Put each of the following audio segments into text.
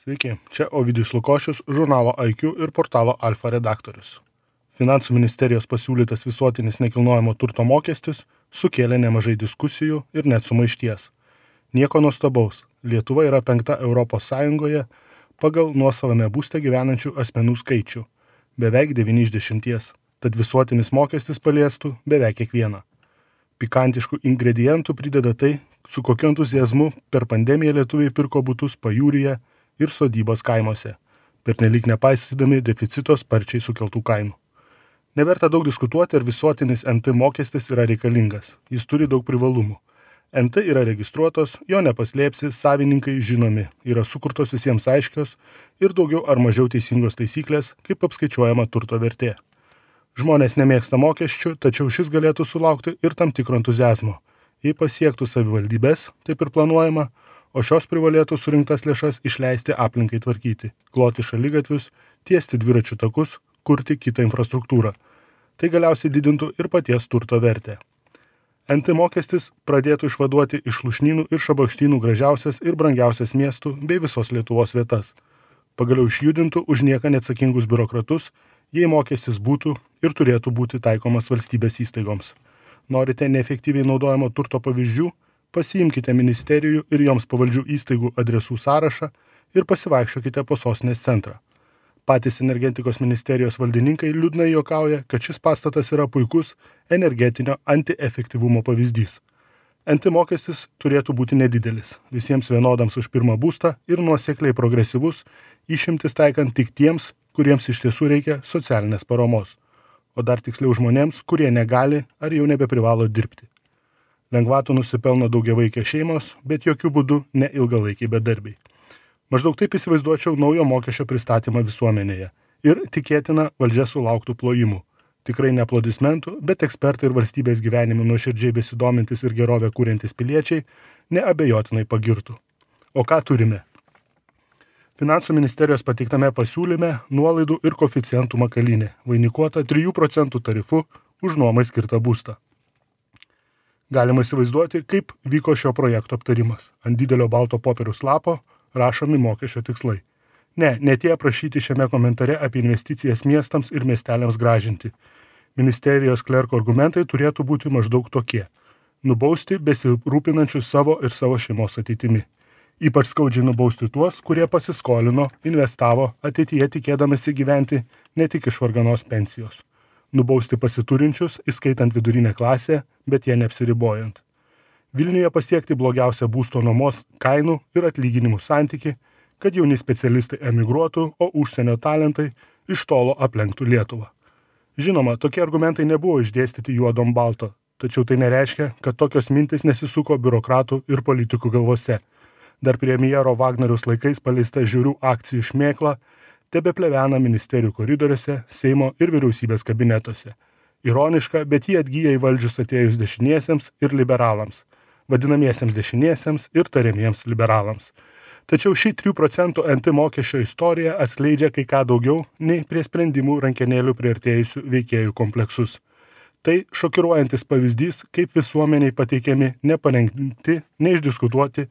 Sveiki, čia Ovidijus Lukošius, žurnalo IQ ir portalo Alfa redaktorius. Finansų ministerijos pasiūlytas visuotinis nekilnojamo turto mokestis sukėlė nemažai diskusijų ir net sumaišties. Nieko nuostabaus, Lietuva yra 5. ES pagal nuosavame būste gyvenančių asmenų skaičių – beveik 9 iš 10, tad visuotinis mokestis paliestų beveik kiekvieną. Pikantiškų ingredientų prideda tai, su kokiu entuziazmu per pandemiją lietuviai pirko butus pajūryje ir sodybos kaimuose, pernelyg nepaisydami deficito sparčiai sukeltų kainų. Neverta daug diskutuoti, ar visuotinis NT mokestis yra reikalingas. Jis turi daug privalumų. NT yra registruotos, jo nepaslėpsi, savininkai žinomi, yra sukurtos visiems aiškios ir daugiau ar mažiau teisingos taisyklės, kaip apskaičiuojama turto vertė. Žmonės nemėgsta mokesčių, tačiau šis galėtų sulaukti ir tam tikro entuziazmo. Jei pasiektų savivaldybės, taip ir planuojama, o šios privalėtų surinktas lėšas išleisti aplinkai tvarkyti, kloti šaligatvius, tiesti dviračių takus, kurti kitą infrastruktūrą. Tai galiausiai didintų ir paties turto vertę. NT mokestis pradėtų išvaduoti iš lūšnynų ir šabakštynų gražiausias ir brangiausias miestų bei visos Lietuvos vietas. Pagaliau išjudintų už nieką neatsakingus biurokratus, jei mokestis būtų ir turėtų būti taikomas valstybės įstaigoms. Norite neefektyviai naudojamo turto pavyzdžių? Pasiimkite ministerijų ir joms pavaldžių įstaigų adresų sąrašą ir pasivaikščiokite po sostinės centrą. Patys energetikos ministerijos valdininkai liūdnai juokauja, kad šis pastatas yra puikus energetinio antiefektyvumo pavyzdys. NT mokestis turėtų būti nedidelis, visiems vienodams už pirmą būstą ir nuosekliai progresyvus, išimtis taikant tik tiems, kuriems iš tiesų reikia socialinės paramos, o dar tiksliau žmonėms, kurie negali ar jau nebeprivalo dirbti. Lengvatų nusipelno daugiavaikės šeimos, bet jokių būdų ne ilgalaikiai bedarbiai. Maždaug taip įsivaizduočiau naujo mokesčio pristatymą visuomenėje ir tikėtina valdžia sulauktų plojimų. Tikrai ne aplodismentų, bet ekspertai ir valstybės gyvenimu nuoširdžiai besidomintis ir gerovę kūrentys piliečiai neabejotinai pagirtų. O ką turime? Finansų ministerijos pateiktame pasiūlyme nuolaidų ir koeficientų makalynė, vainikuota 3% tarifu už nuomai skirtą būstą. Galima įsivaizduoti, kaip vyko šio projekto aptarimas. Ant didelio balto popieriaus lapo rašomi mokesčio tikslai. Ne tie aprašyti šiame komentare apie investicijas miestams ir miesteliams gražinti. Ministerijos klerko argumentai turėtų būti maždaug tokie. Nubausti besirūpinančius savo ir savo šeimos ateitimi. Ypač skaudžiai nubausti tuos, kurie pasiskolino, investavo, ateityje tikėdamasi gyventi ne tik iš varganos pensijos. Nubausti pasiturinčius, įskaitant vidurinę klasę, bet jie neapsiribojant. Vilniuje pasiekti blogiausią būsto nuomos kainų ir atlyginimų santykį, kad jauni specialistai emigruotų, o užsienio talentai iš tolo aplenktų Lietuvą. Žinoma, tokie argumentai nebuvo išdėstyti juodom balto, tačiau tai nereiškia, kad tokios mintis nesisuko biurokratų ir politikų galvose. Dar premjero Vagnoriaus laikais paleista žiūrių akcijų šmėkla tebeplevena ministerijų koridoriuose, Seimo ir vyriausybės kabinetuose. Ironiška, bet jie atgyja į valdžius atėjus dešiniesiems ir liberalams, vadinamiesiems dešiniesiems ir tariamiems liberalams. Tačiau ši 3% NT mokesčio istorija atskleidžia kai ką daugiau nei prie sprendimų rankenėlių priartėjusių veikėjų kompleksus. Tai šokiruojantis pavyzdys, kaip visuomeniai pateikiami neparengti, neišdiskutuoti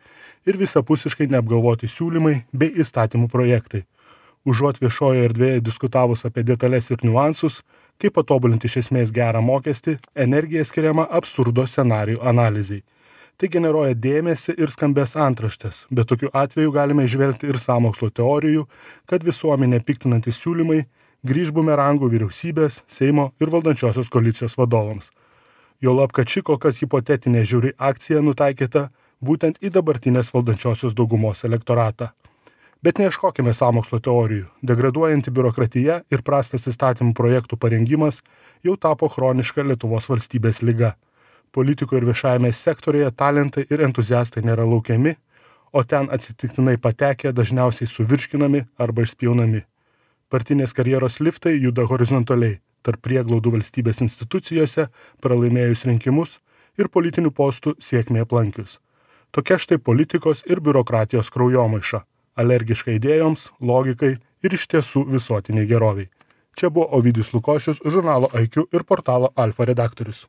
ir visapusiškai neapgalvoti siūlymai bei įstatymų projektai. Užuot viešojoje erdvėje diskutavus apie detalės ir niuansus, kaip patobulinti iš esmės gerą mokestį, energija skiriama absurdo scenarijų analizai. Tai generuoja dėmesį ir skambės antraštės, bet tokiu atveju galime įžvelgti ir sąmokslo teorijų, kad visuomenė piktinantys siūlymai grįž bumerangų vyriausybės, Seimo ir valdančiosios koalicijos vadovams. Juolab, kad ši kol kas hipotetinė žiauri akcija nutaikyta būtent į dabartinės valdančiosios daugumos elektoratą. Bet neieškokime sąmokslo teorijų. Degraduojanti biurokratija ir prastas įstatymų projektų parengimas jau tapo chroniška Lietuvos valstybės liga. Politikoje ir viešajame sektorėje talentai ir entuziastai nėra laukiami, o ten atsitiktinai patekę dažniausiai suvirškinami arba išspjaunami. Partinės karjeros liftai juda horizontaliai, tarp prieglaudų valstybės institucijose, pralaimėjus rinkimus ir politinių postų sėkmė aplankius. Tokia štai politikos ir biurokratijos kraujomaiša, alergiška idėjoms, logikai ir iš tiesų visuotiniai geroviai. Čia buvo Ovidijus Lukošius, žurnalo IQ ir portalo Alfa redaktorius.